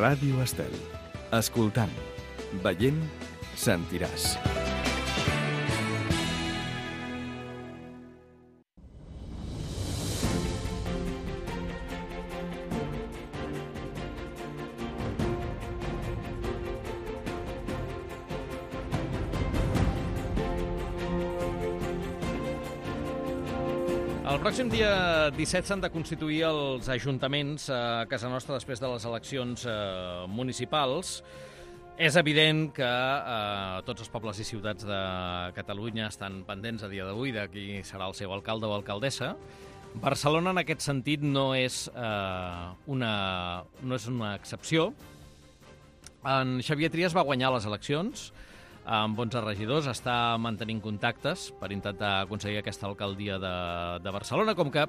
Ràdio Estel. Escoltant, veient, sentiràs. El pròxim dia 17 s'han de constituir els ajuntaments a casa nostra després de les eleccions municipals. És evident que tots els pobles i ciutats de Catalunya estan pendents a dia d'avui de qui serà el seu alcalde o alcaldessa. Barcelona, en aquest sentit, no és una excepció. En Xavier Trias va guanyar les eleccions amb 11 regidors, està mantenint contactes per intentar aconseguir aquesta alcaldia de Barcelona, com que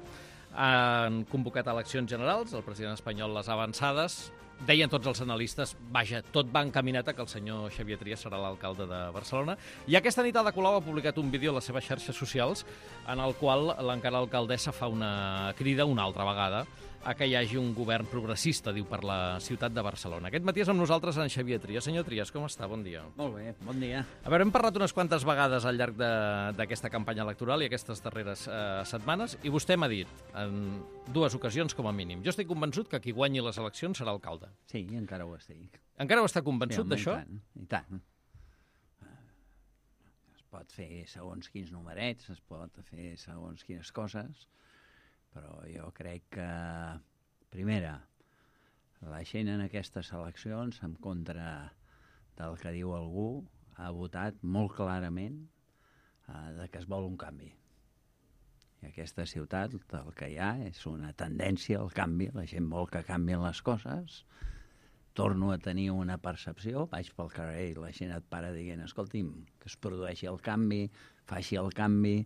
han convocat eleccions generals, el president espanyol les ha avançades. Deien tots els analistes, vaja, tot va encaminat a que el senyor Xavier Trias serà l'alcalde de Barcelona. I aquesta nit Ada Colau ha publicat un vídeo a les seves xarxes socials en el qual l'encara alcaldessa fa una crida una altra vegada a que hi hagi un govern progressista, diu, per la ciutat de Barcelona. Aquest matí és amb nosaltres en Xavier Trias. Senyor Trias, com està? Bon dia. Molt bé, bon dia. A veure, hem parlat unes quantes vegades al llarg d'aquesta campanya electoral i aquestes darreres setmanes, i vostè m'ha dit, en dues ocasions com a mínim, jo estic convençut que qui guanyi les eleccions serà alcalde. Sí, encara ho estic. Encara ho està convençut d'això? I tant. Es pot fer segons quins numerets, es pot fer segons quines coses, però jo crec que, primera, la gent en aquestes eleccions, en contra del que diu algú, ha votat molt clarament de que es vol un canvi. I aquesta ciutat, el que hi ha és una tendència al canvi, la gent vol que canvien les coses. Torno a tenir una percepció, vaig pel carrer i la gent et para dient, escolti'm, que es produeixi el canvi, faci el canvi.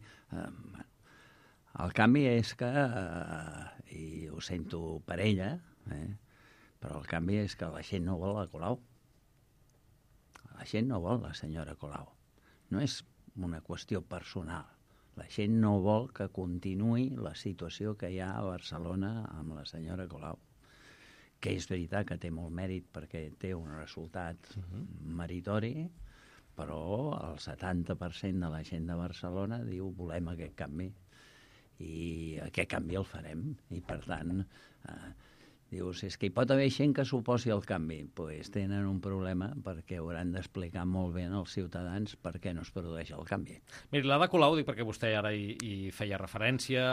El canvi és que, i ho sento per ella, però el canvi és que la gent no vol la Colau. La gent no vol la senyora Colau. No és una qüestió personal. La gent no vol que continuï la situació que hi ha a Barcelona amb la senyora Colau, que és veritat que té molt mèrit perquè té un resultat meritori, però el 70% de la gent de Barcelona diu volem aquest canvi. I aquest canvi el farem. I, per tant, dius, és que hi pot haver gent que s'oposi al canvi. Doncs tenen un problema perquè hauran d'explicar molt bé als ciutadans per què no es produeix el canvi. Miri, l'Ada Colau, dic perquè vostè ara hi feia referència,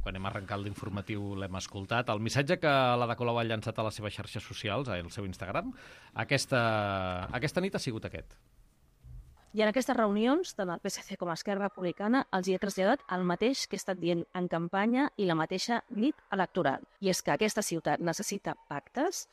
quan hem arrencat l'informatiu l'hem escoltat, el missatge que l'Ada Colau ha llançat a les seves xarxes socials, al seu Instagram, aquesta nit ha sigut aquest. I en aquestes reunions, tant el PSC com Esquerra Republicana, els hi he traslladat el mateix que he estat dient en campanya i la mateixa nit electoral. I és que aquesta ciutat necessita pactes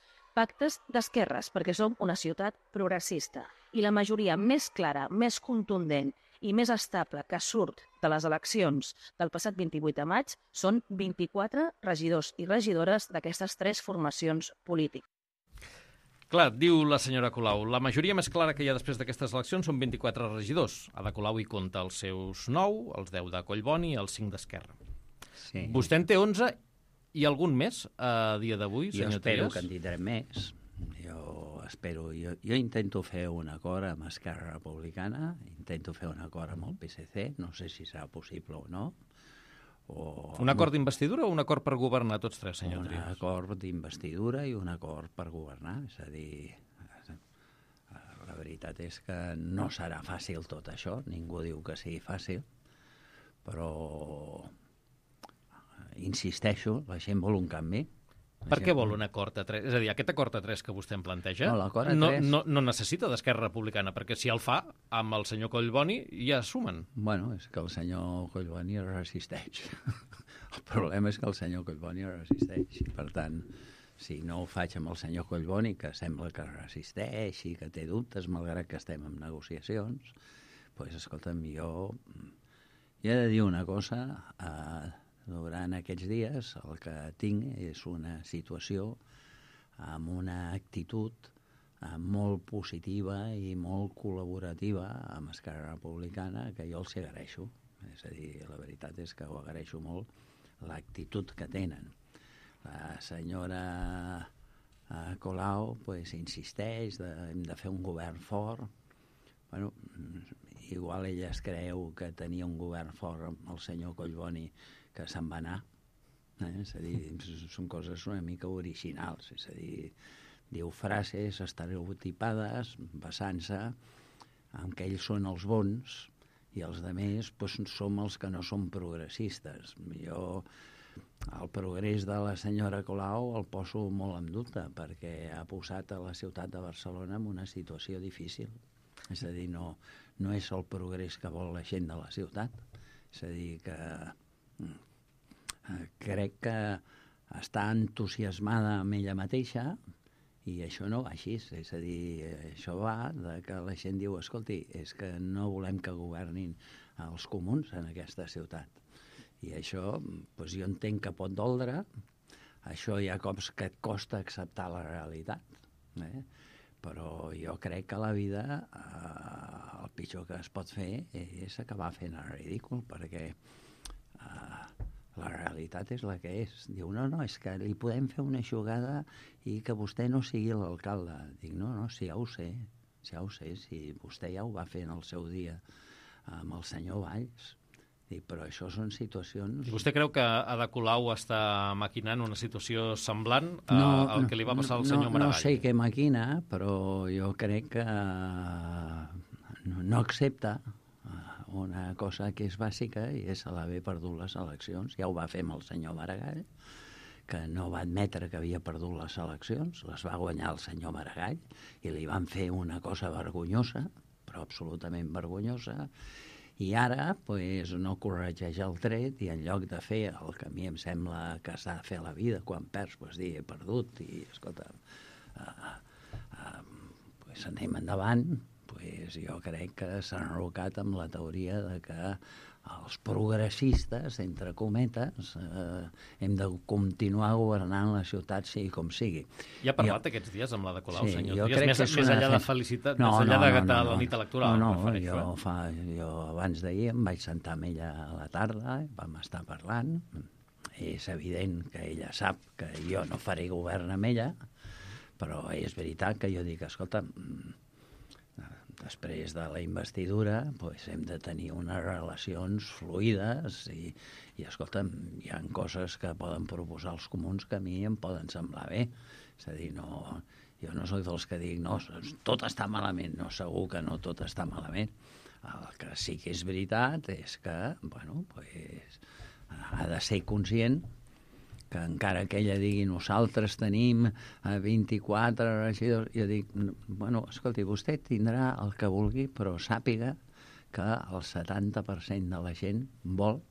d'esquerres, perquè som una ciutat progressista. I la majoria més clara, més contundent i més estable que surt de les eleccions del passat 28 de maig són 24 regidors i regidores d'aquestes tres formacions polítiques. Clar, diu la senyora Colau, la majoria més clara que hi ha després d'aquestes eleccions són 24 regidors. Ada Colau hi compta els seus 9, els 10 de Collboni i els 5 d'Esquerra. Sí. Vostè en té 11 i algun més a dia d'avui, senyor Trias? Jo espero que en tindrem més. Jo intento fer un acord amb Esquerra Republicana, intento fer un acord amb el PSC, no sé si serà possible o no. Un acord d'investidura o un acord per governar tots tres, senyor Trias? Un acord d'investidura i un acord per governar. És a dir, la veritat és que no serà fàcil tot això, ningú diu que sigui fàcil, però insisteixo, la gent vol un canvi. Per què vol un acord a tres? És a dir, aquest acord a tres que vostè em planteja no necessita d'Esquerra Republicana, perquè si el fa amb el senyor Collboni ja sumen. Bueno, és que el senyor Collboni resisteix. El problema és que el senyor Collboni resisteix. Per tant, si no ho faig amb el senyor Collboni, que sembla que resisteix i que té dubtes, malgrat que estem en negociacions, doncs, escolta'm, jo he de dir una cosa. Durant aquests dies el que tinc és una situació amb una actitud molt positiva i molt col·laborativa amb Esquerra Republicana que jo els agraeixo. És a dir, la veritat és que ho agraeixo molt l'actitud que tenen. La senyora Colau insisteix, hem de fer un govern fort. Bueno, igual ella es creu que tenia un govern fort amb el senyor Collboni, que se'n va anar. És a dir, són coses una mica originals. És a dir, diu frases estereotipades basant-se en que ells són els bons i els altres som els que no som progressistes. Jo el progrés de la senyora Colau el poso molt en dubte, perquè ha posat a la ciutat de Barcelona en una situació difícil. És a dir, no és el progrés que vol la gent de la ciutat. És a dir, que crec que està entusiasmada amb ella mateixa i això no va així. És a dir, això va de que la gent diu, escolti, és que no volem que governin els comuns en aquesta ciutat. I això, jo entenc que pot doldre, això hi ha cops que et costa acceptar la realitat, però jo crec que a la vida el pitjor que es pot fer és acabar fent el ridícul, perquè la realitat és la que és. Diu, no, és que li podem fer una jugada i que vostè no sigui l'alcalde. Dic, no, si ja ho sé, si vostè ja ho va fer en el seu dia amb el senyor Valls. Dic, però això són situacions... I vostè creu que Ada Colau està maquinant una situació semblant al que li va passar al senyor Maragall? No sé què maquina, però jo crec que no accepta una cosa que és bàsica i és l'haver perdut les eleccions. Ja ho va fer amb el senyor Maragall, que no va admetre que havia perdut les eleccions, les va guanyar el senyor Maragall i li van fer una cosa vergonyosa, però absolutament vergonyosa, i ara no corregeix el tret i en lloc de fer el que a mi em sembla que s'ha de fer a la vida quan perds, dir he perdut i escolta, anem endavant, jo crec que s'ha enrocat amb la teoria de que els progressistes, entre cometes, hem de continuar governant la ciutat sigui com sigui. Ja ha parlat aquests dies amb l'Ada Colau, senyor Trias, més enllà de felicitat, més enllà de la nit electoral. Jo abans d'ahir em vaig sentar amb ella a la tarda, vam estar parlant. És evident que ella sap que jo no faré govern amb ella, però és veritat que jo dic, escolta, després de la investidura hem de tenir unes relacions fluides i escolta'm, hi ha coses que poden proposar els comuns que a mi em poden semblar bé. És a dir, jo no soc dels que dic, no, tot està malament. No, segur que no tot està malament. El que sí que és veritat és que, ha de ser conscient que encara que ella digui nosaltres tenim 24 regidors, jo dic, escolti, vostè tindrà el que vulgui, però sàpiga que el 70% de la gent vol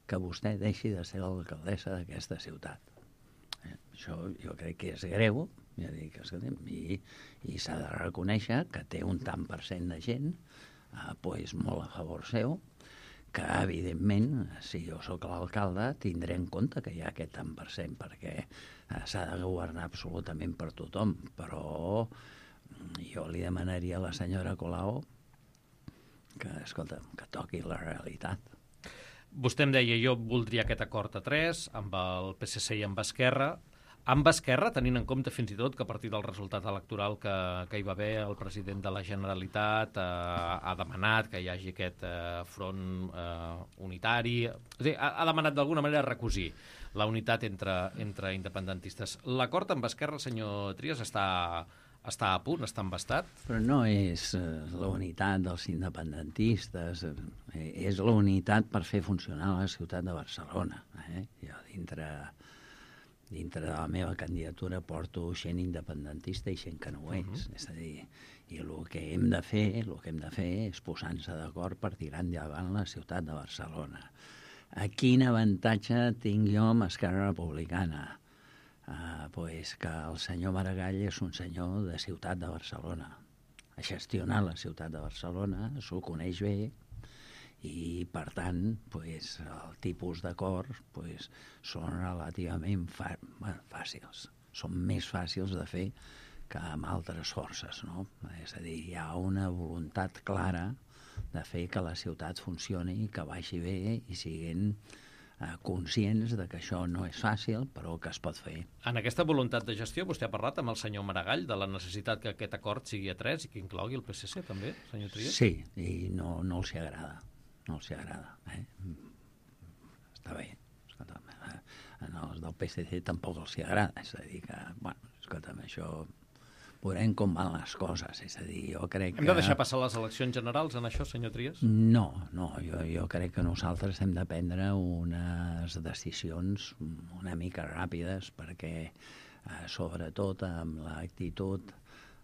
que vostè deixi de ser l'alcaldessa d'aquesta ciutat. Això jo crec que és greu, ja dic, escolti, i s'ha de reconèixer que té un tant per cent de gent molt a favor seu, que, evidentment, si jo sóc l'alcalde, tindré en compte que hi ha aquest tant per cent, perquè s'ha de governar absolutament per tothom. Però jo li demanaria a la senyora Colau que, escolta, que toqui la realitat. Vostè em deia, jo voldria aquest acord a 3, amb el PSC i amb Esquerra. Amb Esquerra, tenint en compte fins i tot que a partir del resultat electoral que hi va haver, el president de la Generalitat ha demanat que hi hagi aquest front unitari. És a dir, ha demanat d'alguna manera recosir la unitat entre independentistes. L'acord amb Esquerra, senyor Trias, està a punt, està embastat? Però no és la unitat dels independentistes, és la unitat per fer funcionar la ciutat de Barcelona. Jo dintre de la meva candidatura porto gent independentista i gent que no ho és. És a dir, i el que hem de fer és posar-nos d'acord per tirar endavant la ciutat de Barcelona. Quin avantatge tinc jo amb Esquerra Republicana? Que el senyor Maragall és un senyor de ciutat de Barcelona. Ha gestionat la ciutat de Barcelona, s'ho coneix bé, i, per tant, el tipus d'acords són relativament fàcils. Són més fàcils de fer que amb altres forces, no? És a dir, hi ha una voluntat clara de fer que la ciutat funcioni, que vagi bé i siguin conscients de que això no és fàcil, però que es pot fer. En aquesta voluntat de gestió, vostè ha parlat amb el senyor Maragall de la necessitat que aquest acord sigui a 3 i que inclogui el PSC, també, senyor Trias? Sí, i no els hi agrada. No els hi agrada. Està bé. Escolta'm, els del PSC tampoc els hi agrada. És a dir que, bueno, escolta'm, això... Veurem com van les coses, és a dir, jo crec que... Hem de deixar passar les eleccions generals en això, senyor Trias? No, jo crec que nosaltres hem de prendre unes decisions una mica ràpides perquè, sobretot amb l'actitud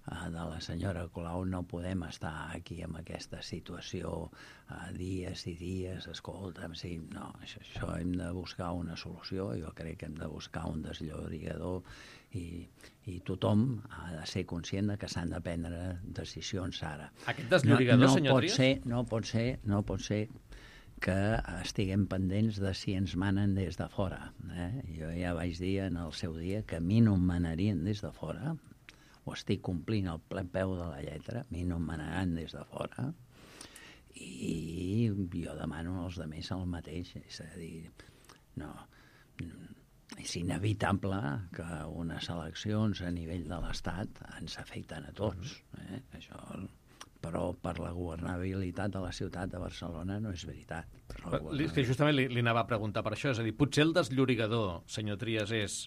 de la senyora Colau, no podem estar aquí amb aquesta situació dies i dies, escolta'm, sí, no, això hem de buscar una solució, jo crec que hem de buscar un desllorigador i tothom ha de ser conscient de que s'han de prendre decisions ara. Aquest desllorigador, senyor Trias? No pot ser que estiguem pendents de si ens manen des de fora. Jo ja vaig dir en el seu dia que a mi no em manarien des de fora, ho estic complint al ple peu de la lletra, a mi no em manaran des de fora, i jo demano als altres el mateix, és a dir, no... És inevitable que unes eleccions a nivell de l'Estat ens afecten a tots. Això, però per la governabilitat de la ciutat de Barcelona no és veritat. Que justament li anava a preguntar per això. És a dir, potser el desllorigador, senyor Trias, és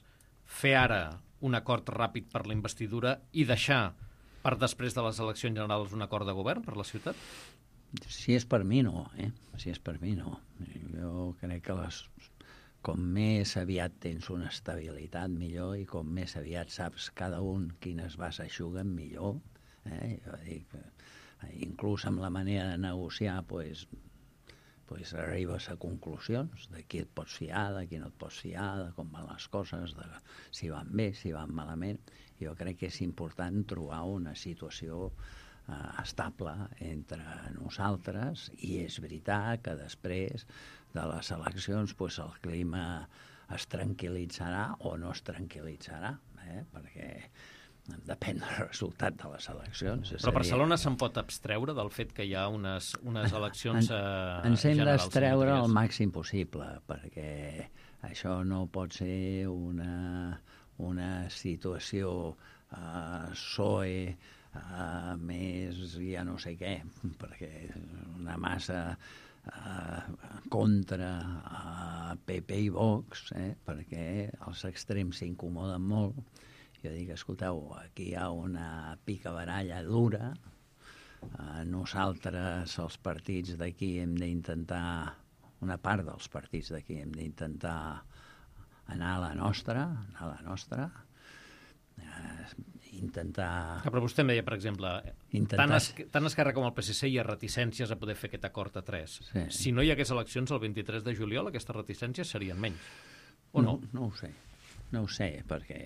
fer ara un acord ràpid per la investidura i deixar per després de les eleccions generals un acord de govern per la ciutat? Si és per mi, no. Si és per mi, no. Jo crec que com més aviat tens una estabilitat, millor, i com més aviat saps cada un quines vas eixuguen, millor. Jo dic, inclús amb la manera de negociar, pues arribes a conclusions de qui et pots fiar, de qui no et pots fiar, de com van les coses, de si van bé, si van malament. Jo crec que és important trobar una situació estable entre nosaltres, i és veritat que després de les eleccions el clima es tranquil·litzarà o no es tranquil·litzarà, perquè depèn del resultat de les eleccions. Però Barcelona se'n pot abstreure del fet que hi ha unes eleccions generals? Ens hem d'abstreure el màxim possible, perquè això no pot ser una situació PSOE més ja no sé què, perquè una massa contra PP i Vox, perquè els extrems s'incomoden molt. Jo dic, escolteu, aquí hi ha una picabaralla dura, nosaltres, els partits d'aquí, hem d'intentar, una part dels partits d'aquí, hem d'intentar anar a la nostra, intentar... Però vostè em deia, per exemple, tant Esquerra com el PSC hi ha reticències a poder fer aquest acord a 3. Sí. Si no hi hagués eleccions el 23 de juliol, aquestes reticències serien menys, o no? No ho sé, perquè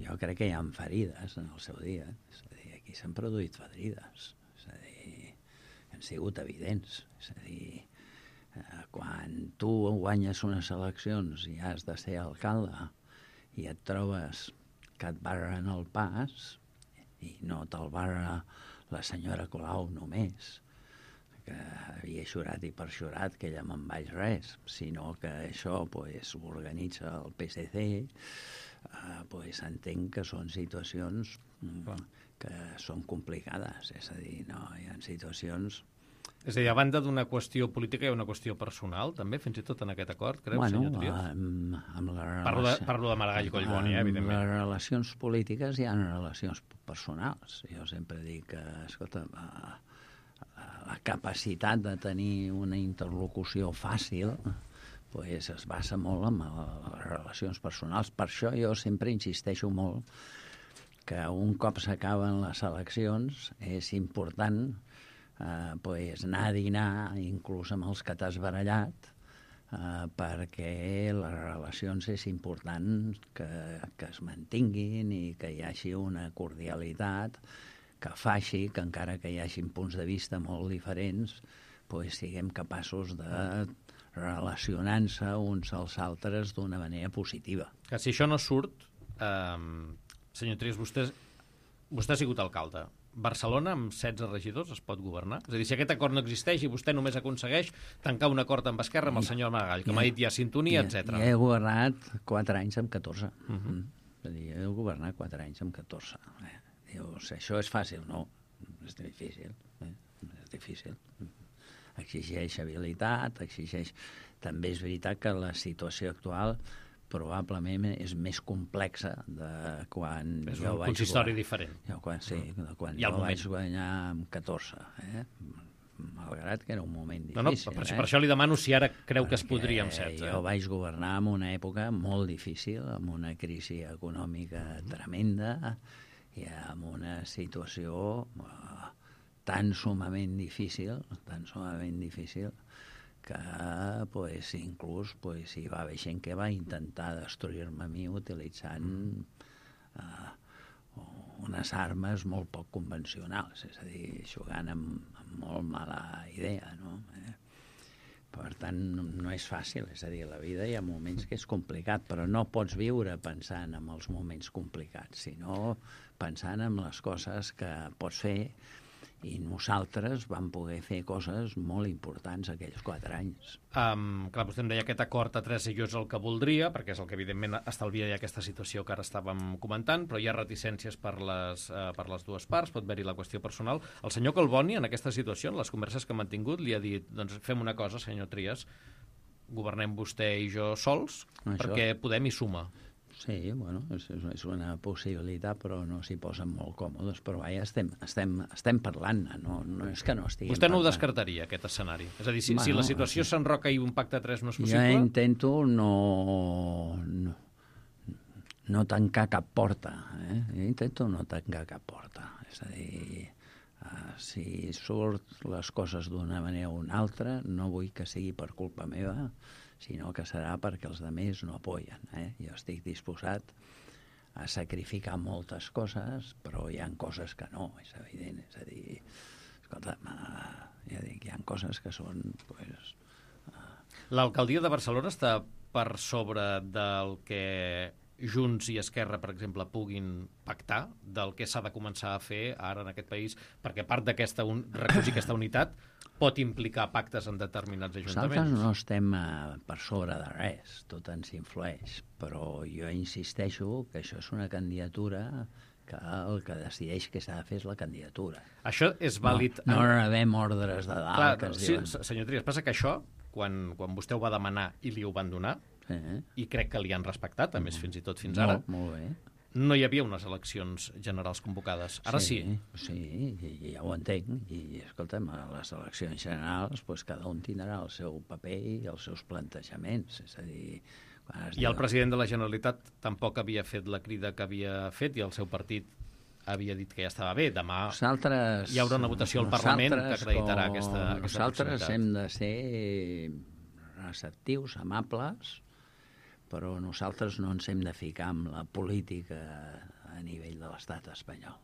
jo crec que hi ha ferides en el seu dia. És a dir, aquí s'han produït ferides. És a dir, han sigut evidents. És a dir, quan tu guanyes unes eleccions i has de ser alcalde i et trobes que et barren el pas, i no te'l barra la senyora Colau només, que havia jurat i perjurat que ella me'n vaig res, sinó que això ho organitza el PSC, entenc que són situacions que són complicades. És a dir, no, hi ha situacions... És a dir, a banda d'una qüestió política, hi ha una qüestió personal, també, fins i tot en aquest acord, creu, senyor Trias? Parlo de Maragall i Collboni, evidentment. Amb les relacions polítiques hi ha relacions personals. Jo sempre dic que, escolta, la capacitat de tenir una interlocució fàcil es basa molt en les relacions personals. Per això jo sempre insisteixo molt que un cop s'acaben les eleccions és important anar a dinar inclús amb els que t'has barallat, perquè les relacions és important que es mantinguin i que hi hagi una cordialitat que faci que, encara que hi hagin punts de vista molt diferents, siguem capaços de relacionar-se uns als altres d'una manera positiva. Que si això no surt, senyor Trias, vostè ha sigut alcalde. Barcelona amb 16 regidors es pot governar? És a dir, si aquest acord no existeix i vostè només aconsegueix tancar un acord amb Esquerra amb el senyor Maragall, que m'ha dit hi ha sintonia, etc. Ja he governat 4 anys amb 14. És a dir, he governat 4 anys amb 14. Dius, això és fàcil? No, és difícil. És difícil. Exigeix habilitat, exigeix... També és veritat que la situació actual probablement és més complexa de quan és jo un vaig... consistori diferent. De quan jo vaig guanyar amb 14, malgrat que era un moment difícil. No, per això li demano si ara creu que es podria amb 16. Jo vaig governar en una època molt difícil, amb una crisi econòmica tremenda i amb una situació tan sumament difícil, que inclús hi va haver gent que va intentar destruir-me a mi utilitzant unes armes molt poc convencionals, és a dir, jugant amb molt mala idea, no? Per tant, no és fàcil, és a dir, la vida hi ha moments que és complicat, però no pots viure pensant en els moments complicats, sinó pensant en les coses que pots fer. I nosaltres vam poder fer coses molt importants aquells 4 anys. Clar, vostè em deia aquest acord a 3 i jo és el que voldria, perquè és el que evidentment estalviaria aquesta situació que ara estàvem comentant, però hi ha reticències per les dues parts, pot haver-hi la qüestió personal. El senyor Collboni, en aquesta situació, en les converses que hem mantingut, li ha dit, doncs fem una cosa, senyor Trias, governem vostè i jo sols, perquè Podem hi suma. Sí, bueno, és una possibilitat, però no s'hi posen molt còmodes. Però vaja, estem parlant, no és que no estiguem Vostè no ho descartaria, aquest escenari? És a dir, si la situació s'enroca i un pacte a 3 no és possible... Jo intento no tancar cap porta. Jo intento no tancar cap porta. És a dir, si surt les coses d'una manera o una altra, no vull que sigui per culpa meva, sinó que serà perquè els altres no apoyen. Jo estic disposat a sacrificar moltes coses, però hi ha coses que no, és evident. És a dir, escolta'm, ja dic, hi ha coses que són... L'alcaldia de Barcelona està per sobre del que Junts i Esquerra, per exemple, puguin pactar, del que s'ha de començar a fer ara en aquest país, perquè part d'aquesta recollir aquesta unitat pot implicar pactes en determinats ajuntaments. Nosaltres no estem per sobre de res, tot ens influeix, però jo insisteixo que això és una candidatura que el que decideix que s'ha de fer és la candidatura. Això és vàlid... No rebem ordres de dalt. Clar, que ens diuen... senyor Trias, passa que això, quan vostè ho va demanar i li ho van donar, i crec que li han respectat, a més fins i tot fins ara, molt bé. No hi havia unes eleccions generals convocades. Ara sí. Sí, ja ho entenc. I, escolta'm, a les eleccions generals cada un tindrà el seu paper i els seus plantejaments. És a dir... I el president de la Generalitat tampoc havia fet la crida que havia fet i el seu partit havia dit que ja estava bé. Demà hi haurà una votació al Parlament que acreditarà aquesta nosaltres hem de ser receptius, amables, però nosaltres no ens hem de ficar amb la política a nivell de l'estat espanyol.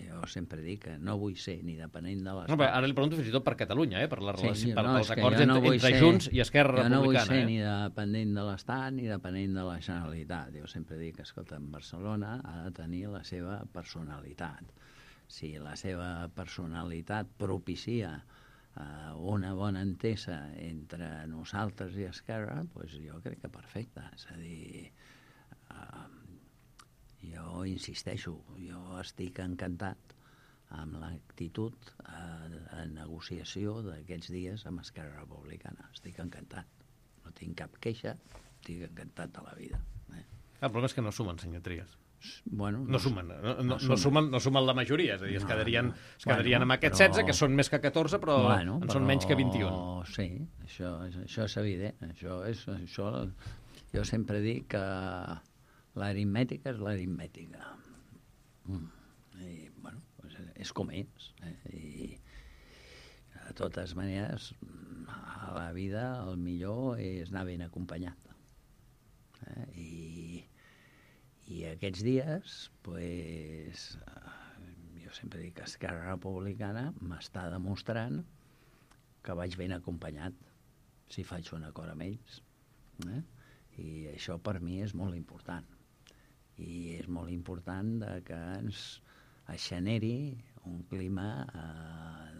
Jo sempre dic que no vull ser ni depenent de l'estat... No, ara li pregunto fins i tot per Catalunya, per la relació, pels acords entre Junts i Esquerra Republicana. Jo no vull ser ni dependent de l'estat ni dependent de la Generalitat. Jo sempre dic que, escolta, Barcelona ha de tenir la seva personalitat. Si la seva personalitat propicia una bona entesa entre nosaltres i Esquerra, doncs jo crec que perfecte. És a dir, jo insisteixo, jo estic encantat amb l'actitud de negociació d'aquests dies amb Esquerra Republicana. Estic encantat. No tinc cap queixa, estic encantat de la vida. El problema és que no sumen, senyor Trias. Bueno, no sumen la majoria, és a dir, es quedarien amb aquests 16, que són més que 14, però són menys que 21. Sí, això és evident. Jo sempre dic que l'aritmètica és l'aritmètica. I, bueno, és com és. I, de totes maneres, a la vida el millor és anar ben acompanyat. I aquests dies, pues, jo sempre dic que Esquerra Republicana m'està demostrant que vaig ben acompanyat si faig un acord amb ells. I això per mi és molt important. I és molt important que es generi un clima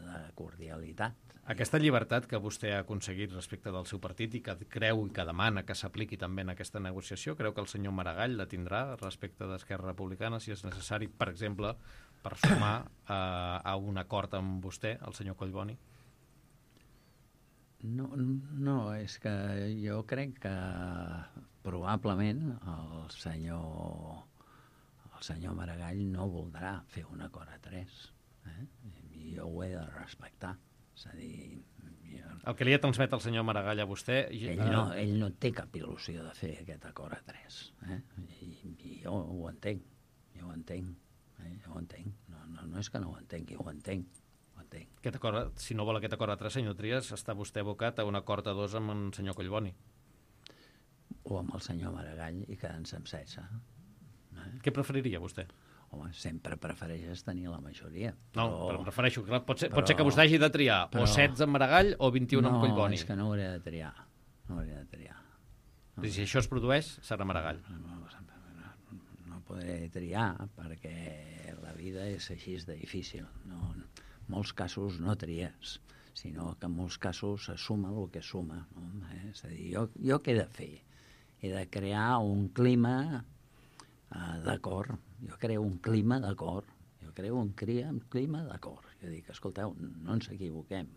de cordialitat. Aquesta llibertat que vostè ha aconseguit respecte del seu partit i que creu i que demana que s'apliqui també en aquesta negociació, creu que el senyor Maragall la tindrà respecte d'Esquerra Republicana, si és necessari, per exemple, per sumar a un acord amb vostè, el senyor Collboni? No, és que jo crec que probablement el senyor Maragall no voldrà fer un acord a 3. I jo ho he de respectar. És a dir... El que li ha transmet el senyor Maragall a vostè... Ell no té cap il·lusió de fer aquest acord a 3. I jo ho entenc. Jo ho entenc. No és que no ho entengui, ho entenc. Aquest acord, si no vol aquest acord a 3, senyor Trias, està vostè abocat a un acord a 2 amb el senyor Collboni. O amb el senyor Maragall i quedant-se amb 16. Què preferiria vostè? Home, sempre prefereixes tenir la majoria. No, però em refereixo, clar, pot ser que vostè hagi de triar o 16 amb Maragall o 21 amb Collboni. No, és que no hauré de triar. I si això es produeix, serà Maragall. No podré triar perquè la vida és així de difícil. En molts casos no tries, sinó que en molts casos es suma el que suma. És a dir, jo què he de fer? He de crear un clima d'acord. Jo creo un clima d'acord. Jo dic, escolteu, no ens equivoquem.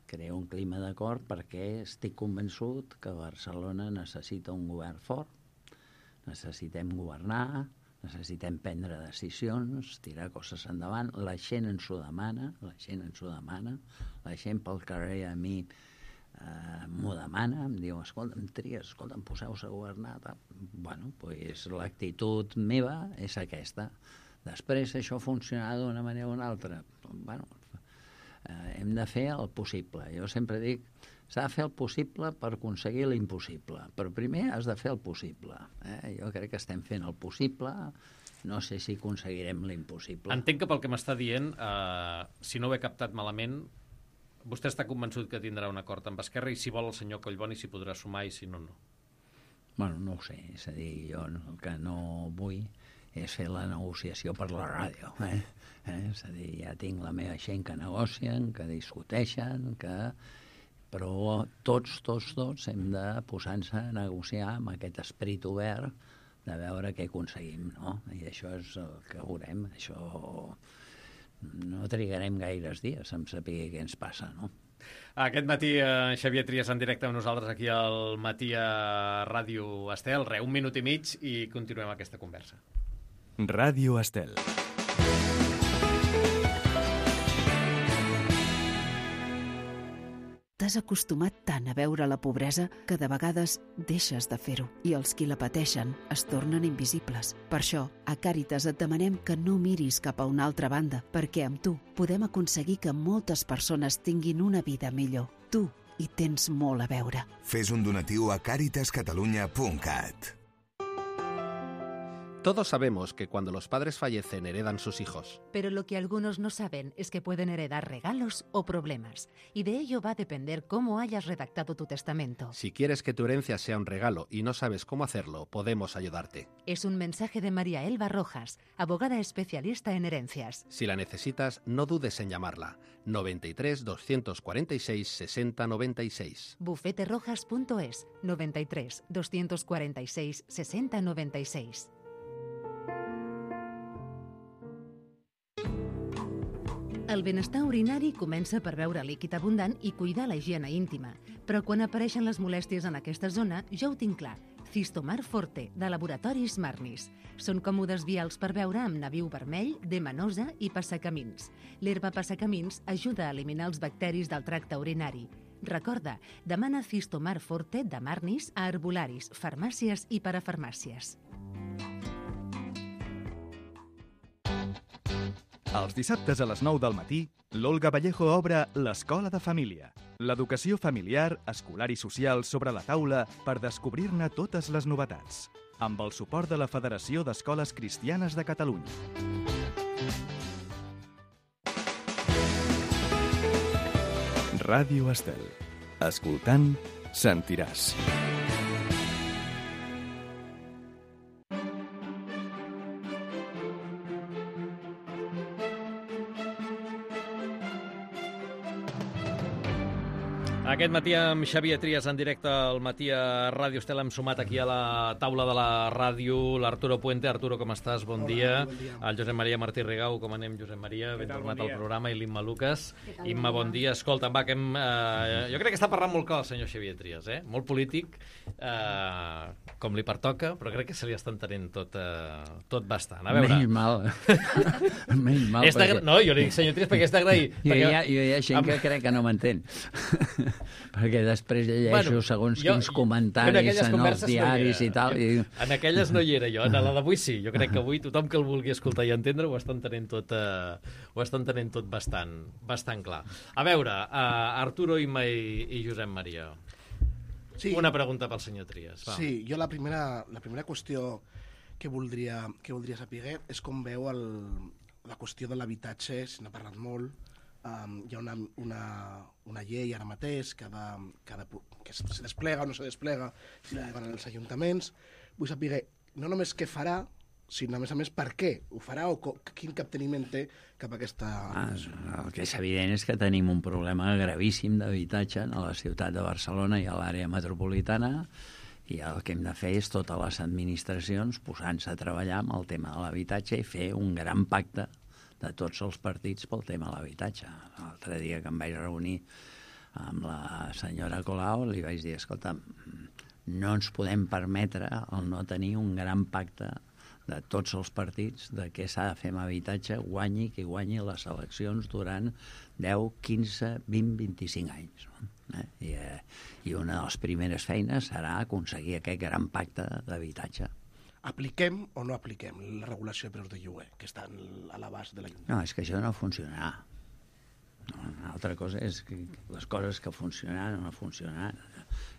Creo un clima d'acord perquè estic convençut que Barcelona necessita un govern fort, necessitem governar, necessitem prendre decisions, tirar coses endavant, la gent ens ho demana, la gent pel carrer a mi m'ho demana, em diu, escolta'm, Trias, poseu-se a governar. Bueno, doncs l'actitud meva és aquesta. Després això funcionarà d'una manera o una altra. Bueno, hem de fer el possible. Jo sempre dic, s'ha de fer el possible per aconseguir l'impossible. Però primer has de fer el possible. Jo crec que estem fent el possible, no sé si aconseguirem l'impossible. Entenc que pel que m'està dient, si no ho he captat malament, vostè està convençut que tindrà un acord amb Esquerra i si vol el senyor Collboni s'hi podrà sumar i si no, no. Bueno, no ho sé. És a dir, jo el que no vull és fer la negociació per la ràdio. És a dir, ja tinc la meva gent que negocien, que discuteixen, però tots hem de posar-nos a negociar amb aquest esperit obert de veure què aconseguim, no? I això és el que veurem. Això... no trigarem gaires dies en saber què ens passa, no? Aquest matí Xavier Trias en directe amb nosaltres aquí al Matí a Ràdio Estel. Un minut i mig i continuem aquesta conversa. Ràdio Estel. T'has acostumat tant a veure la pobresa que de vegades deixes de fer-ho i els qui la pateixen es tornen invisibles. Per això, a Càritas et demanem que no miris cap a una altra banda, perquè amb tu podem aconseguir que moltes persones tinguin una vida millor. Tu hi tens molt a veure. Fes un donatiu a caritascatalunya.cat. Todos sabemos que cuando los padres fallecen heredan sus hijos. Pero lo que algunos no saben es que pueden heredar regalos o problemas. Y de ello va a depender cómo hayas redactado tu testamento. Si quieres que tu herencia sea un regalo y no sabes cómo hacerlo, podemos ayudarte. Es un mensaje de María Elba Rojas, abogada especialista en herencias. Si la necesitas, no dudes en llamarla. 93 246 60 96. Bufeterojas.es 93 246 60 96. El benestar urinari comença per beure líquid abundant i cuidar la higiene íntima. Però quan apareixen les molèsties en aquesta zona, ja ho tinc clar. Cistomar Forte, de Laboratoris Marnis. Són còmodes vials per beure amb nabiu vermell, demanosa i passacamins. L'herba passacamins ajuda a eliminar els bacteris del tracte urinari. Recorda, demana Cistomar Forte de Marnis a herbolaris, farmàcies i parafarmàcies. Els dissabtes a les 9 del matí, l'Olga Vallejo obre l'Escola de Família. L'educació familiar, escolar i social sobre la taula per descobrir-ne totes les novetats. Amb el suport de la Federació d'Escoles Cristianes de Catalunya. Ràdio Estel. Escoltant, sentiràs. Aquest matí amb Xavier Trias en directe al Matí a Ràdio Estel hem sumat aquí a la taula de la ràdio l'Arturo Puente. Arturo, com estàs? Bon dia. Bon dia. El Josep Maria Martí Rigau, com anem, Josep Maria? Ben tornat al programa. I l'Imma Lucas. Imma, bon dia. Escolta, va, que jo crec que està parlant molt clar el senyor Xavier Trias, Molt polític, com li pertoca, però crec que se li està entenent tot bastant. A veure... Menys mal. Menys mal. Perquè... No, jo li dic senyor Trias perquè és d'agrair. Jo hi ha gent que crec que no m'entén. Perquè després llegeixo segons quins comentaris en els diaris i tal. En aquelles no hi era jo, en la d'avui sí. Jo crec que avui tothom que el vulgui escoltar i entendre ho està entenent tot bastant clar. A veure, Arturo, Imma i Josep Maria. Sí. Una pregunta pel senyor Trias. Va. Sí, jo la primera qüestió que voldria saber és com veu la qüestió de l'habitatge, se n'ha parlat molt. Hi ha una llei ara mateix que se desplega o no se desplega si la van als ajuntaments. Vull saber no només què farà, sinó a més per què ho farà o quin capteniment té cap a aquesta... El que és evident és que tenim un problema gravíssim d'habitatge a la ciutat de Barcelona i a l'àrea metropolitana, i el que hem de fer és totes les administracions posant-se a treballar amb el tema de l'habitatge i fer un gran pacte de tots els partits pel tema de l'habitatge. L'altre dia que em vaig reunir amb la senyora Colau li vaig dir, escolta, no ens podem permetre el no tenir un gran pacte de tots els partits de què s'ha de fer amb habitatge, guanyi qui guanyi les eleccions durant 10, 15, 20, 25 anys. I una de les primeres feines serà aconseguir aquest gran pacte d'habitatge. Apliquem o no apliquem la regulació de preus de lloguer, que està a l'abast de l'Ajuntament? No, és que això no funcionarà. Una altra cosa és que les coses que funcionaran o no funcionaran.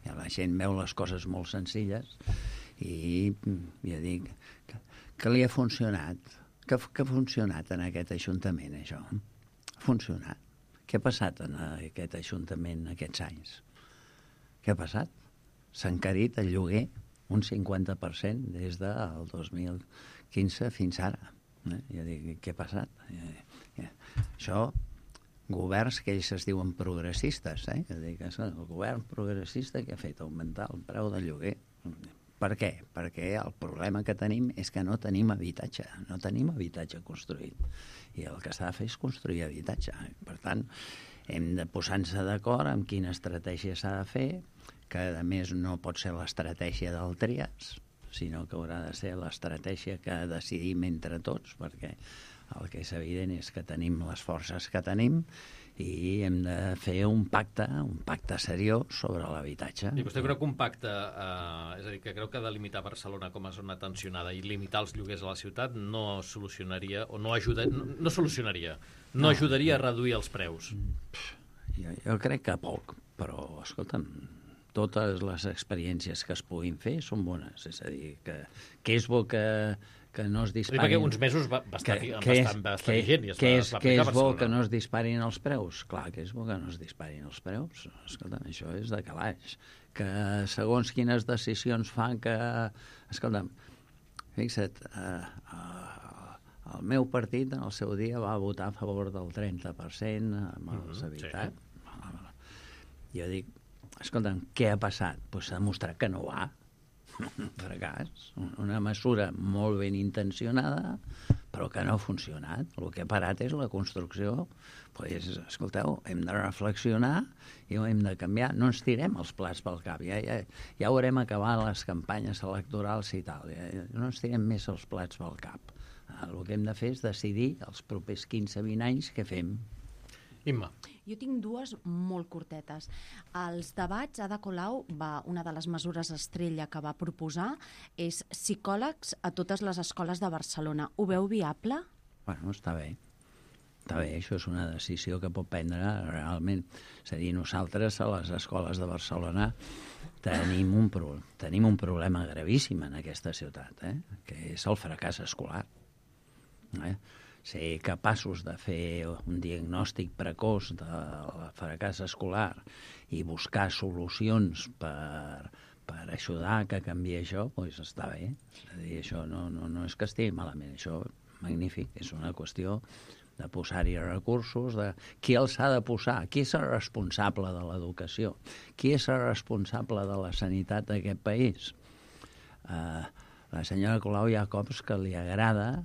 La gent veu les coses molt senzilles i ja dic, que li ha funcionat? Què ha funcionat en aquest Ajuntament, això? Ha funcionat. Què ha passat en aquest Ajuntament aquests anys? Què ha passat? S'ha encarit el lloguer un 50% des del 2015 fins ara. Jo dic, què ha passat? Això, governs que ells es diuen progressistes, Jo dic, el govern progressista que ha fet augmentar el preu del lloguer. Per què? Perquè el problema que tenim és que no tenim habitatge, no tenim habitatge construït. I el que s'ha de fer és construir habitatge. Per tant, hem de posar-nos d'acord amb quina estratègia s'ha de fer, que a més no pot ser l'estratègia del Trias, sinó que haurà de ser l'estratègia que decidim entre tots, perquè el que és evident és que tenim les forces que tenim i hem de fer un pacte seriós sobre l'habitatge. I vostè creu que un pacte, és a dir, que creu que delimitar Barcelona com a zona tensionada i limitar els lloguers a la ciutat no solucionaria, o no ajudaria, no ajudaria a reduir els preus? Jo crec que poc, però, escolta'm, totes les experiències que es puguin fer són bones. És a dir, que és bo que no es disparin... Perquè uns mesos va estar vigent i es va aplicar a Barcelona. Que és bo que no es disparin els preus? Clar que és bo que no es disparin els preus. Escolta'm, això és de calaix. Que segons quines decisions fan que... Escolta'm, fixa't, el meu partit en el seu dia va votar a favor del 30% amb els habitants. Jo dic, escolta'm, què ha passat? Doncs s'ha demostrat que no va. Un fracàs. Una mesura molt ben intencionada, però que no ha funcionat. El que ha parat és la construcció. Doncs, escolteu, hem de reflexionar i ho hem de canviar. No ens tirem els plats pel cap. Ja haurem acabat les campanyes electorals i tal. No ens tirem més els plats pel cap. El que hem de fer és decidir els propers 15-20 anys què fem. Imma. Jo tinc dues molt curtetes. Els debats, Ada Colau, una de les mesures estrella que va proposar és psicòlegs a totes les escoles de Barcelona. Ho veu viable? Bueno, està bé. Està bé, això és una decisió que pot prendre realment. És a dir, nosaltres a les escoles de Barcelona tenim un problema gravíssim en aquesta ciutat, que és el fracàs escolar. Ser capaços de fer un diagnòstic precoç del fracàs escolar i buscar solucions per ajudar que canviï això, doncs està bé. És a dir, això no és que estigui malament, això magnífic, és una qüestió de posar-hi recursos, de qui els ha de posar, qui és el responsable de l'educació, qui és el responsable de la sanitat d'aquest país. La senyora Colau hi ha cops que li agrada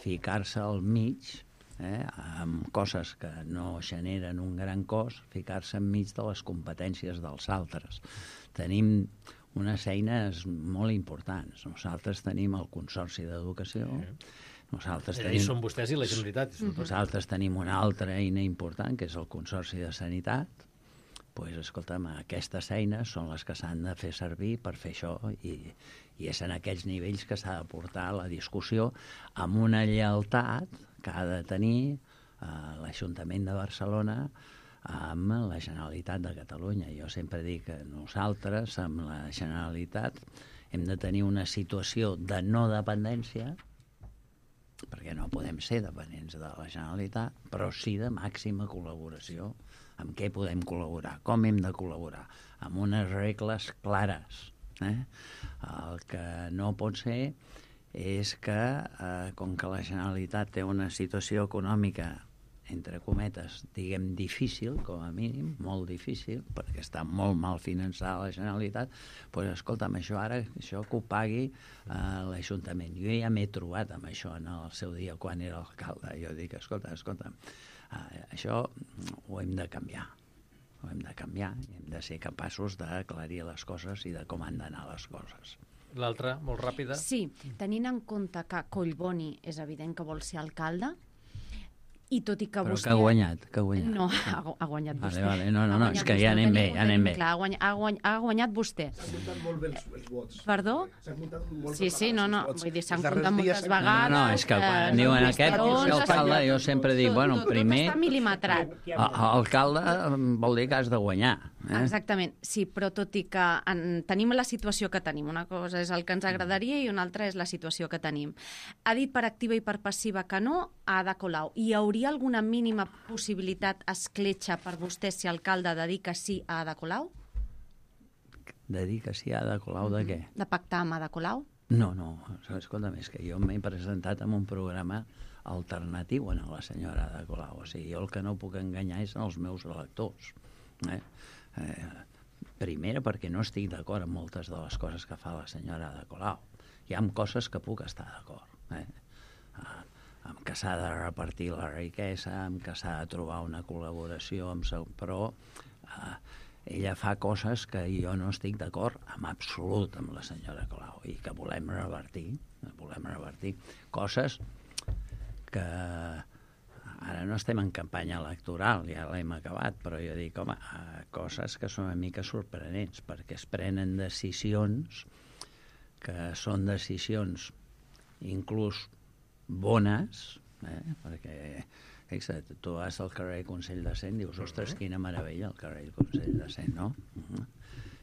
ficar-se al mig, amb coses que no generen un gran cost, ficar-se enmig de les competències dels altres. Tenim unes eines molt importants. Nosaltres tenim el Consorci d'Educació, són vostès i la Generalitat. Nosaltres tenim una altra eina important, que és el Consorci de Sanitat. Doncs, escolta'm, aquestes eines són les que s'han de fer servir per fer això i és en aquells nivells que s'ha de portar la discussió amb una lleialtat que ha de tenir l'Ajuntament de Barcelona amb la Generalitat de Catalunya. Jo sempre dic que nosaltres, amb la Generalitat, hem de tenir una situació de no dependència, perquè no podem ser dependents de la Generalitat, però sí de màxima col·laboració. Amb què podem col·laborar? Com hem de col·laborar? Amb unes regles clares. El que no pot ser és que, com que la Generalitat té una situació econòmica, entre cometes, diguem, difícil, com a mínim, molt difícil, perquè està molt mal finançada la Generalitat, doncs, escolta'm, això que ho pagui l'Ajuntament. Jo ja m'he trobat amb això en el seu dia, quan era alcalde. Jo dic, escolta'm, això ho hem de canviar. Ho hem de canviar i hem de ser capaços d'aclarir les coses i de com han d'anar les coses. L'altra, molt ràpida. Sí, tenint en compte que Collboni és evident que vol ser alcalde, i tot i que però vostè... que ha guanyat. No, ha guanyat vostè. Vale. No, és que ja anem bé, Clar, ha guanyat vostè. S'han comptat molt bé els vots. Perdó? S'han comptat molt Sí, no, vull dir, s'han comptat moltes vegades. No, és que quan diuen aquest alcalde, jo sempre dic, bueno, primer... Tot està mil·limetrat. Alcalde vol dir que has de guanyar. Exactament, sí, però tot i que tenim la situació que tenim, una cosa és el que ens agradaria i una altra és la situació que tenim. Ha dit per activa i per passiva que no a Ada Colau. Hi hauria alguna mínima possibilitat escletxa per vostè si alcalde de dir que sí a Ada Colau? De dir que sí a Ada Colau de què? De pactar amb Ada Colau? No, escolta'm, és que jo m'he presentat amb un programa alternatiu a la senyora Ada Colau. O sigui, jo el que no puc enganyar és els meus electors. Primera, perquè no estic d'acord amb moltes de les coses que fa la senyora Ada Colau. Hi ha coses que puc estar d'acord. Amb que s'ha de repartir la riquesa, amb que s'ha de trobar una col·laboració, però ella fa coses que jo no estic d'acord en absolut amb la senyora Colau i que volem revertir. Coses que ara no estem en campanya electoral, ja l'hem acabat, però jo dic, home, coses que són una mica sorprenents, perquè es prenen decisions que són decisions inclús bones, perquè fixa't, tu vas al carrer Consell de Cent, dius, ostres, quina meravella el carrer Consell de Cent, no?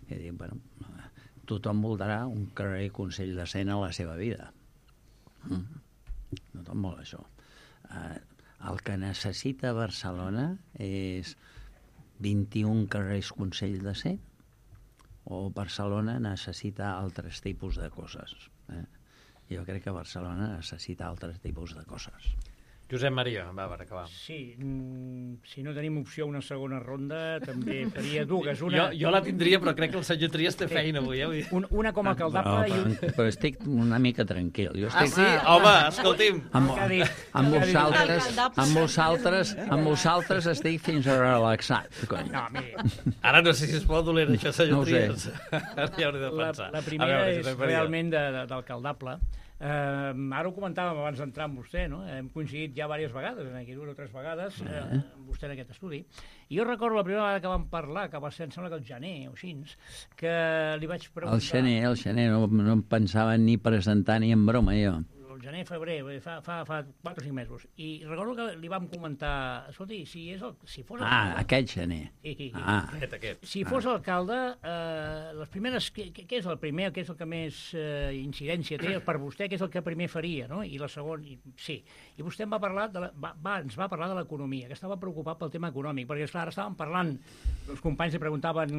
I dic, bueno, tothom voldrà un carrer Consell de Cent a la seva vida. Tothom vol això. El que necessita Barcelona és 21 carrers Consell de Cent o Barcelona necessita altres tipus de coses. Jo crec que Barcelona necessita altres tipus de coses. Josep Maria, va, per acabar. Sí, si no tenim opció a una segona ronda, també faria dues. Jo la tindria, però crec que el senyor Trias té feina avui. Una com a alcaldable... Però estic una mica tranquil. Sí? Home, escolti'm. Amb vosaltres estic fins a relaxat. Ara no sé si es pot doler això, senyor Trias. Ara ja hauré de pensar. La primera és realment d'alcaldable. Ara ho comentàvem abans d'entrar amb vostè, no? Hem coincidit ja diverses vegades, aquí 2 o 3 vegades, amb vostè en aquest estudi. I jo recordo la primera vegada que vam parlar, que va ser, em sembla que el gener o així, que li vaig preguntar... El gener, no em pensava ni presentar ni en broma, jo. El gener, febrer, fa 4 o 5 mesos. I recordo que li vam comentar, escolti, si fos alcalde... aquest gener. Aquest. Si fos alcalde, les primeres... Què és el primer, què és el que més incidència té per vostè, què és el que primer faria, no? I la segona... Sí. I vostè ens va parlar de l'economia, que estava preocupat pel tema econòmic, perquè, esclar, ara estàvem parlant, els companys li preguntaven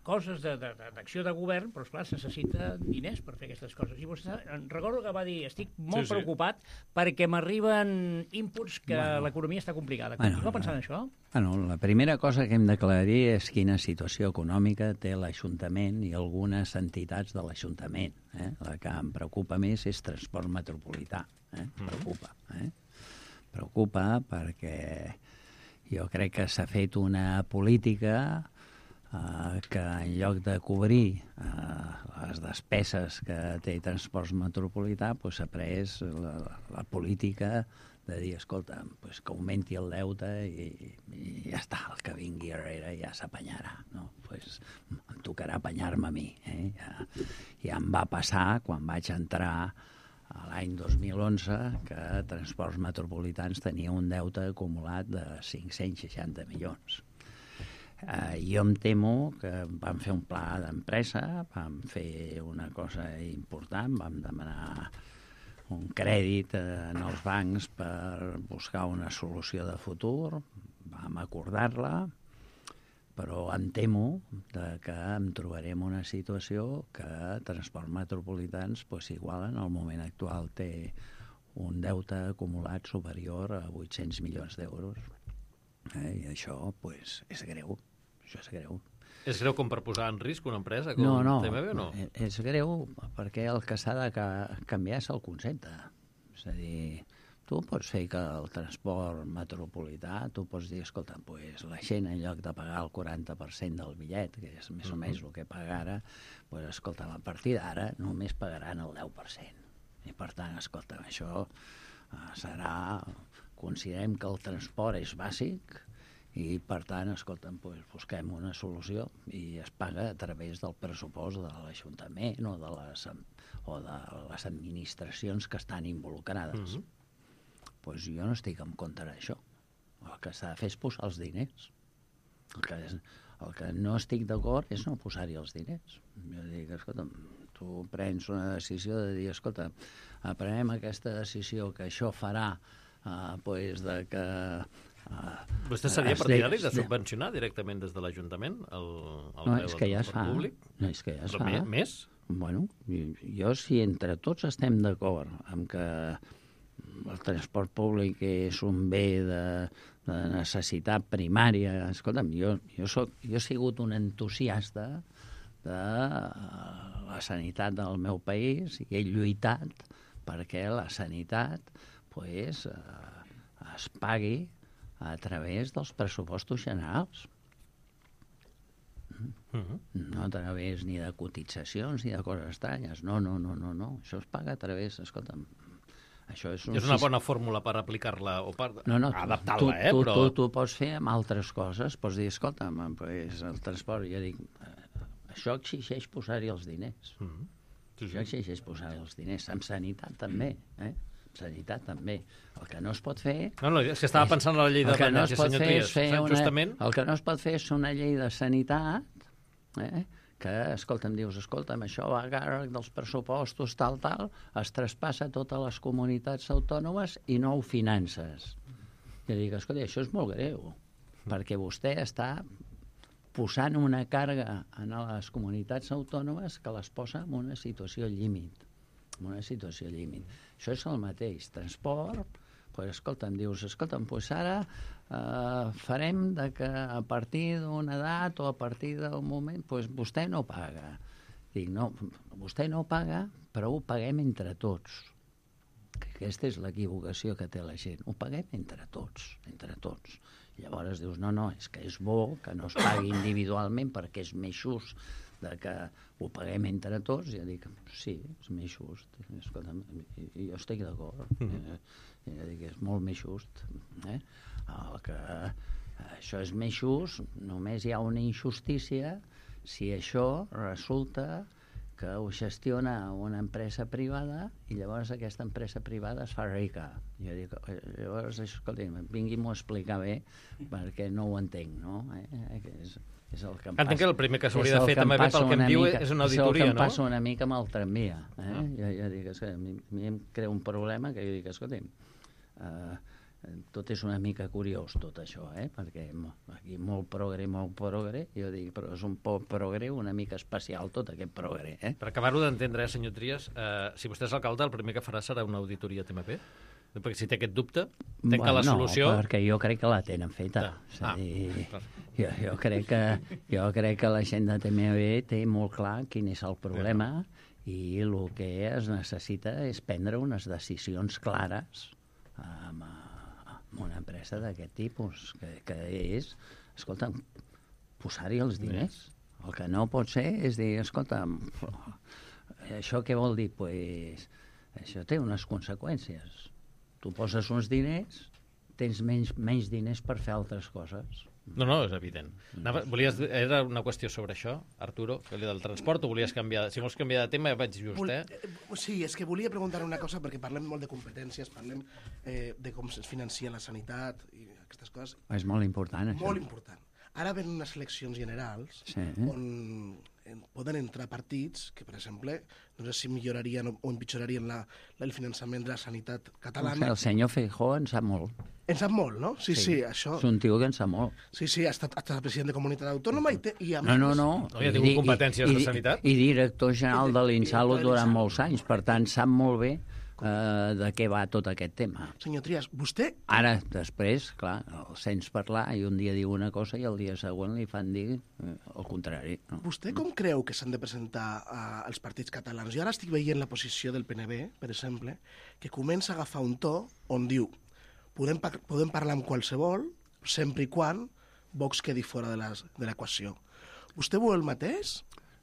coses d'acció de govern, però, esclar, se necessita diners per fer aquestes coses. I vostè, recordo que va dir, estic molt preocupat perquè m'arriben inputs que l'economia està complicada. Continua pensant en això? Bueno, la primera cosa que hem d'aclarir és quina situació econòmica té l'Ajuntament i algunes entitats de l'Ajuntament. La que em preocupa més és transport metropolità. Preocupa perquè jo crec que s'ha fet una política que en lloc de cobrir les despeses que té transport metropolità s'ha pres la política de dir, escolta, que augmenti el deute i ja està, el que vingui darrere ja s'apanyarà, no? Em tocarà apanyar-me a mi. Ja em va passar quan vaig entrar l'any 2011 que Transports Metropolitans tenia un deute acumulat de 560 milions. Jo em temo que vam fer un pla d'empresa, vam fer una cosa important, vam demanar un crèdit en els bancs per buscar una solució de futur, vam acordar-la, però em temo que em trobarem una situació que Transports Metropolitans, igual en el moment actual té un deute acumulat superior a 800 milions d'euros. I això és greu. Això és greu. És greu com per posar en risc una empresa? No, TMB, o no? És greu perquè el que s'ha de canviar és el concepte. És a dir, tu pots fer que el transport metropolità, tu pots dir, escolta, la gent en lloc de pagar el 40% del bitllet, que és més o menys el que paga ara, escolta, a partir d'ara només pagaran el 10%. I per tant, escolta, això serà... Considerem que el transport és bàsic, i, per tant, escolta'm, busquem una solució i es paga a través del pressupost de l'Ajuntament o de les administracions que estan involucrades. Jo no estic en contra d'això. El que s'ha de fer és posar els diners. El que no estic d'acord és no posar-hi els diners. Jo dic, escolta'm, tu prens una decisió de dir, escolta, prenem aquesta decisió que això farà de que... Vostè seria partidari de subvencionar directament des de l'Ajuntament el preu del transport públic? No, és que ja es fa. Més? Bueno, jo si entre tots estem d'acord amb que el transport públic és un bé de necessitat primària, escolta'm, jo he sigut un entusiasta de la sanitat del meu país i he lluitat perquè la sanitat es pagui a través dels pressupostos generals. No a través ni de cotitzacions ni de coses estranyes. No. Això es paga a través... Escolta'm, això és una bona fórmula per aplicar-la o per adaptar-la, però... Tu pots fer amb altres coses. Pots dir, escolta'm, el transport... Jo dic, això exigeix posar-hi els diners. Això exigeix posar-hi els diners. Amb sanitat també, sanitat també. El que no es pot fer... No, és que estava pensant en la llei de dependència, senyor Trias. El que no es pot fer és una llei de sanitat que, escolta'm, dius, escolta'm, això va a càrrec dels pressupostos, tal, es traspassa a totes les comunitats autònomes i no ho finances. I dic, escolta, això és molt greu, perquè vostè està posant una càrrega en les comunitats autònomes que les posa en una situació límit. Això és el mateix. Transport, escolta'm, dius, ara farem que a partir d'una edat o a partir d'un moment, vostè no paga. Dic, no, vostè no paga, però ho paguem entre tots. Aquesta és l'equivocació que té la gent. Ho paguem entre tots. Llavors dius, no, és que és bo que no es pagui individualment perquè és més just que ho paguem entre tots. Jo dic, sí, és més just. Escolta'm, jo estic d'acord. Jo dic, és molt més just. Això és més just, només hi ha una injustícia si això resulta que ho gestiona una empresa privada i llavors aquesta empresa privada es fa rica. Jo dic, llavors, escolta'm, vingui'm-ho a explicar bé perquè no ho entenc, no? És el que em passa. Entenc que el primer que s'hauria de fer també pel que em diu és una auditoria, no? És el que em passa una mica amb el tramvia. Jo dic, a mi em crea un problema que jo dic, escolta'm, tot és una mica curiós, tot això, perquè aquí molt progre, jo dic, però és un poc progre, una mica especial tot aquest progre. Per acabar-ho d'entendre, senyor Trias, si vostè és alcalde, el primer que farà serà una auditoria TMP? Perquè si té aquest dubte, que la solució... No, perquè jo crec que la tenen feta. Jo crec que la gent de TMB té molt clar quin és el problema i el que es necessita és prendre unes decisions clares amb una empresa d'aquest tipus, que és, escolta, posar-hi els diners. El que no pot ser és dir, escolta, això què vol dir? Pues, això té unes conseqüències. Tu poses uns diners, tens menys diners per fer altres coses. No, és evident. Era una qüestió sobre això, Arturo, del transport, o volies canviar? Si vols canviar de tema, vaig just, Sí, és que volia preguntar una cosa, perquè parlem molt de competències, parlem de com es financia la sanitat i aquestes coses. És molt important, això. Molt important. Ara ven unes eleccions generals on poden entrar partits que, per exemple, no sé si millorarien o empitjorarien el finançament de la sanitat catalana. El senyor Feijóo en sap molt. En sap molt, no? Sí, això... És un tio que en sap molt. Sí, ha estat president de comunitat autònoma i a més... No. Ja ha tingut competències de sanitat? I director general de l'Insalud durant molts anys. Per tant, sap molt bé de què va tot aquest tema. Senyor Trias, vostè... Ara, després, clar, el sents parlar i un dia diu una cosa i el dia següent li fan dir el contrari. No? Vostè com creu que s'han de presentar els partits catalans? Jo ara estic veient la posició del PNB, per exemple, que comença a agafar un to on diu podem parlar amb qualsevol sempre i quan Vox quedi fora de l'equació. Vostè vol el mateix?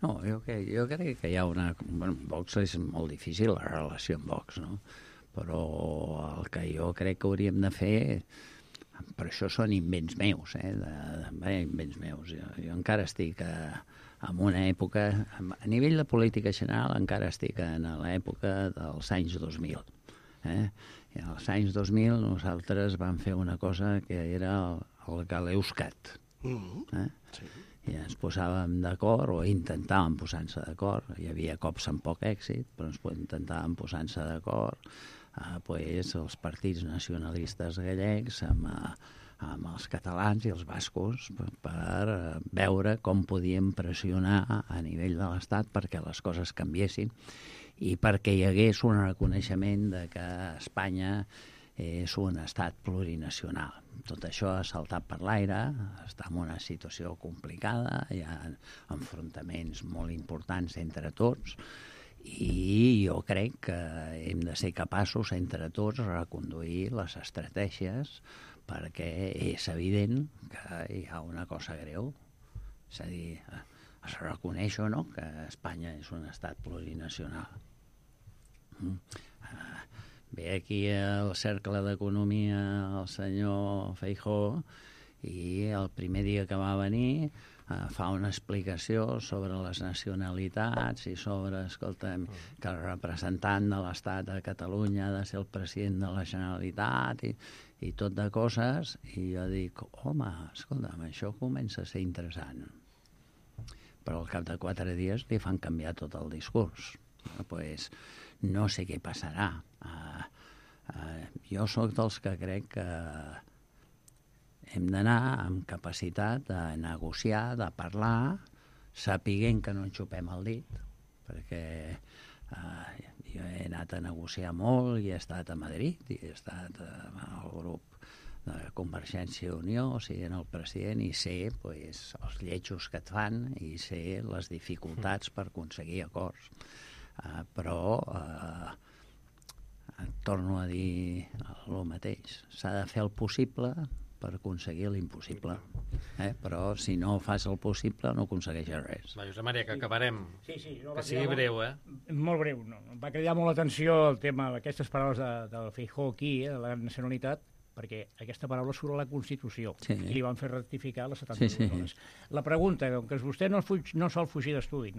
No, jo crec que hi ha una... Bueno, Vox és molt difícil, la relació amb Vox, no? Però el que jo crec que hauríem de fer... Per això són invents meus, invents meus. Jo encara estic en una època... A nivell de política general encara estic en l'època dels anys 2000. I als anys 2000 nosaltres vam fer una cosa que era el Galeuscat. Sí. I ens posàvem d'acord, o intentàvem posar-nos d'acord. Hi havia cops amb poc èxit, però ens intentàvem posar-nos d'acord els partits nacionalistes gallecs amb els catalans i els bascos per veure com podíem pressionar a nivell de l'Estat perquè les coses canviessin i perquè hi hagués un reconeixement de que Espanya és un estat plurinacional. Tot això ha saltat per l'aire, està en una situació complicada, hi ha enfrontaments molt importants entre tots i jo crec que hem de ser capaços entre tots de reconduir les estratègies perquè és evident que hi ha una cosa greu. És a dir, es reconeix o no que Espanya és un estat plurinacional. Ve aquí al Cercle d'Economia el senyor Feijóo i el primer dia que va venir fa una explicació sobre les nacionalitats i sobre, escolta'm, que el representant de l'Estat de Catalunya ha de ser el president de la Generalitat i tot de coses, i jo dic, home, escolta'm, això comença a ser interessant. Però al cap de 4 dies li fan canviar tot el discurs. Pues, no sé què passarà. Jo sóc dels que crec que hem d'anar amb capacitat de negociar, de parlar, sapiguent que no ens xupem el dit, perquè jo he anat a negociar molt i he estat a Madrid i he estat al grup de Convergència i Unió, sent el president, i sé pues, els lletjos que et fan i sé les dificultats per aconseguir acords. Però torno a dir el mateix. S'ha de fer el possible per aconseguir l'impossible. Però si no fas el possible no aconsegueixes res. Va, Josep Maria, que acabarem. Sí, que sigui breu, Molt breu, no. Em va cridar molt l'atenció el tema d'aquestes paraules del Feijóo aquí, de la nacionalitat, perquè aquesta paraula surt a la Constitució i li van fer rectificar les 72 hores. La pregunta, com que vostè no sol fugir d'estudi,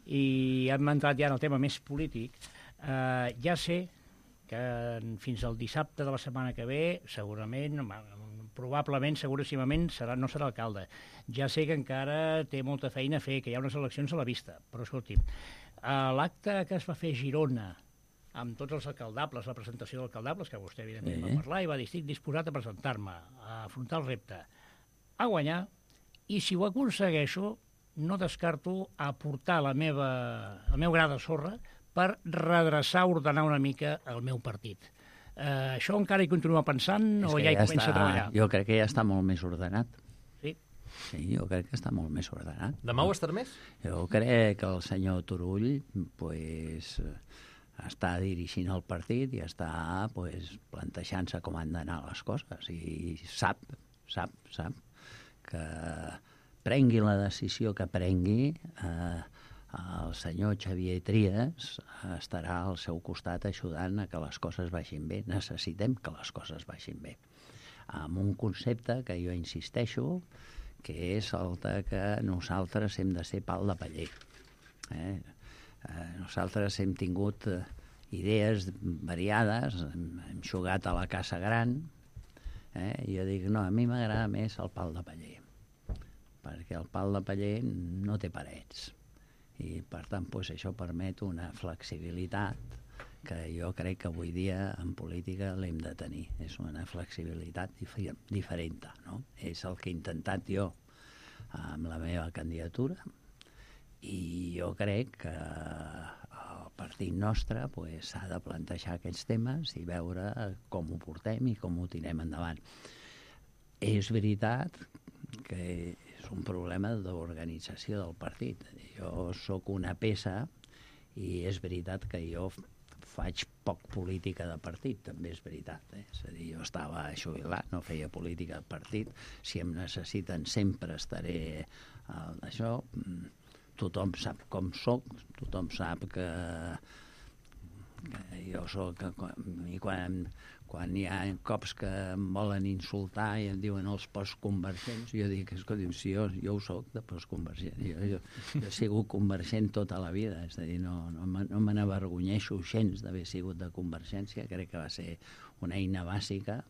i hem entrat ja en el tema més polític, ja sé que fins al dissabte de la setmana que ve, segurament, probablement, seguríssimament, no serà alcalde. Ja sé que encara té molta feina a fer, que hi ha unes eleccions a la vista, però escolti'm, l'acte que es va fer a Girona amb tots els alcaldables, la presentació d'alcaldables, que vostè evidentment va parlar, i va dir, estic disposat a presentar-me, a afrontar el repte, a guanyar, i si ho aconsegueixo, no descarto aportar el meu gra de sorra per redreçar, ordenar una mica el meu partit. Això encara hi continua pensant o ja hi comença a treballar? Jo crec que ja està molt més ordenat. Sí? Sí, jo crec que està molt més ordenat. Demà ho estarà més? Jo crec que el senyor Turull està dirigint el partit i està plantejant-se com han d'anar les coses i sap que prengui la decisió que prengui, el senyor Xavier Trias estarà al seu costat ajudant a que les coses vagin bé. Necessitem que les coses vagin bé. Amb un concepte que jo insisteixo, que és el que nosaltres hem de ser pal de paller. Nosaltres hem tingut idees variades, hem jugat a la casa gran, i jo dic, no, a mi m'agrada més el pal de paller, perquè el pal de paller no té parets, i per tant això permet una flexibilitat que jo crec que avui dia en política l'hem de tenir. És una flexibilitat diferent, no? És el que he intentat jo amb la meva candidatura, i jo crec que el partit nostre s'ha de plantejar aquests temes i veure com ho portem i com ho tirem endavant. És veritat que és un problema d'organització del partit. Jo sóc una peça i és veritat que jo faig poc política de partit, també és veritat. És a dir, jo estava jubilat, no feia política de partit. Si em necessiten sempre estaré d'això. Tothom sap com soc, tothom sap que jo soc... I quan hi ha cops que em volen insultar i em diuen els postconvergents, jo dic, escolta, si jo ho soc de postconvergent. Jo he sigut convergent tota la vida, és a dir, no me n'avergonyeixo gens d'haver sigut de Convergència, crec que va ser una eina bàsica,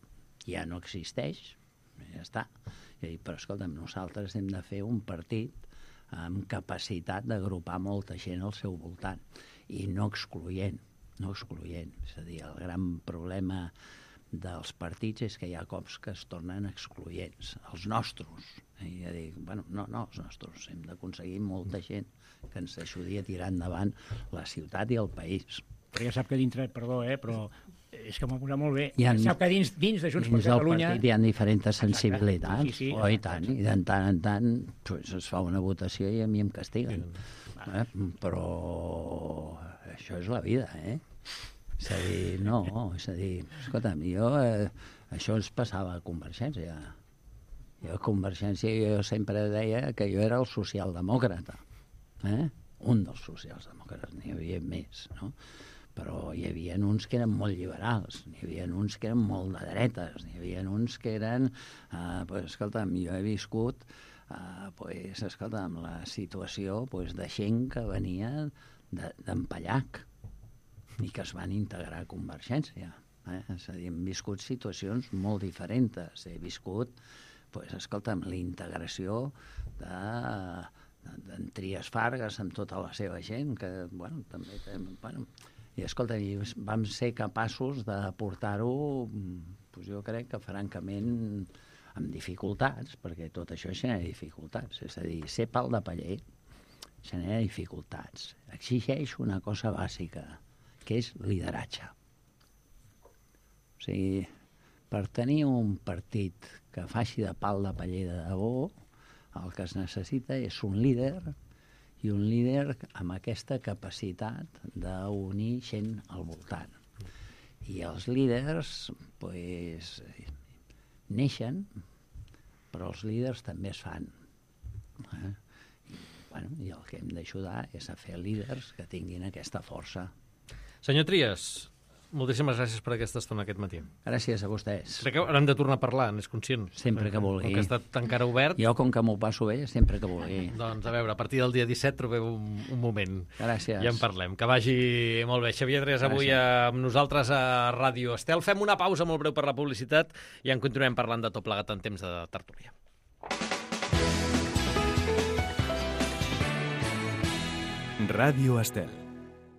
ja no existeix, ja està. Però, escolta'm, nosaltres hem de fer un partit amb capacitat d'agrupar molta gent al seu voltant i no excloent. És a dir, el gran problema dels partits és que hi ha cops que es tornen excloents, els nostres. I ja dic, no els nostres, hem d'aconseguir molta gent que ens ajudi a tirar endavant la ciutat i el país. Però ja sap que dintre, perdó, però és que m'ho ha posat molt bé. Sap que dins de Junts per Catalunya... Dins del partit hi ha diferents sensibilitats, i tant, i de tant en tant es fa una votació i a mi em castiguen. Però això és la vida, És a dir, escolta'm, això ens passava a Convergència. Jo a Convergència jo sempre deia que jo era el socialdemòcrata, un dels socialdemòcrates, n'hi havia més, no? Però hi havia uns que eren molt liberals, n'hi havia uns que eren molt de dretes, n'hi havia uns que eren... Escolta'm, jo he viscut la situació de gent que venia d'Empallac i que es van integrar a Convergència. És a dir, hem viscut situacions molt diferents. He viscut, la integració d'en Trias Fargas amb tota la seva gent, que, també... I, escolta, vam ser capaços de portar-ho, jo crec que francament amb dificultats, perquè tot això genera dificultats. És a dir, ser pal de paller genera dificultats. Exigeix una cosa bàsica, que és lideratge. O sigui, per tenir un partit que faci de pal de paller de debò, el que es necessita és un líder, i un líder amb aquesta capacitat d'unir gent al voltant. I els líders, neixen, però els líders també es fan. I el que hem d'ajudar és a fer líders que tinguin aquesta força. Senyor Trias, moltíssimes gràcies per aquesta estona aquest matí. Gràcies a vostès. Crec que haurem de tornar a parlar, n'és conscient. Sempre que vulgui. Com que ha estat encara obert... Jo, com que m'ho passo bé, sempre que vulgui. Doncs, a veure, a partir del dia 17 trobeu un moment. Gràcies. Ja en parlem. Que vagi molt bé. Xavier Trias avui amb nosaltres a Ràdio Estel. Fem una pausa molt breu per la publicitat i en continuem parlant de tot plegat en temps de tertúlia. Ràdio Estel.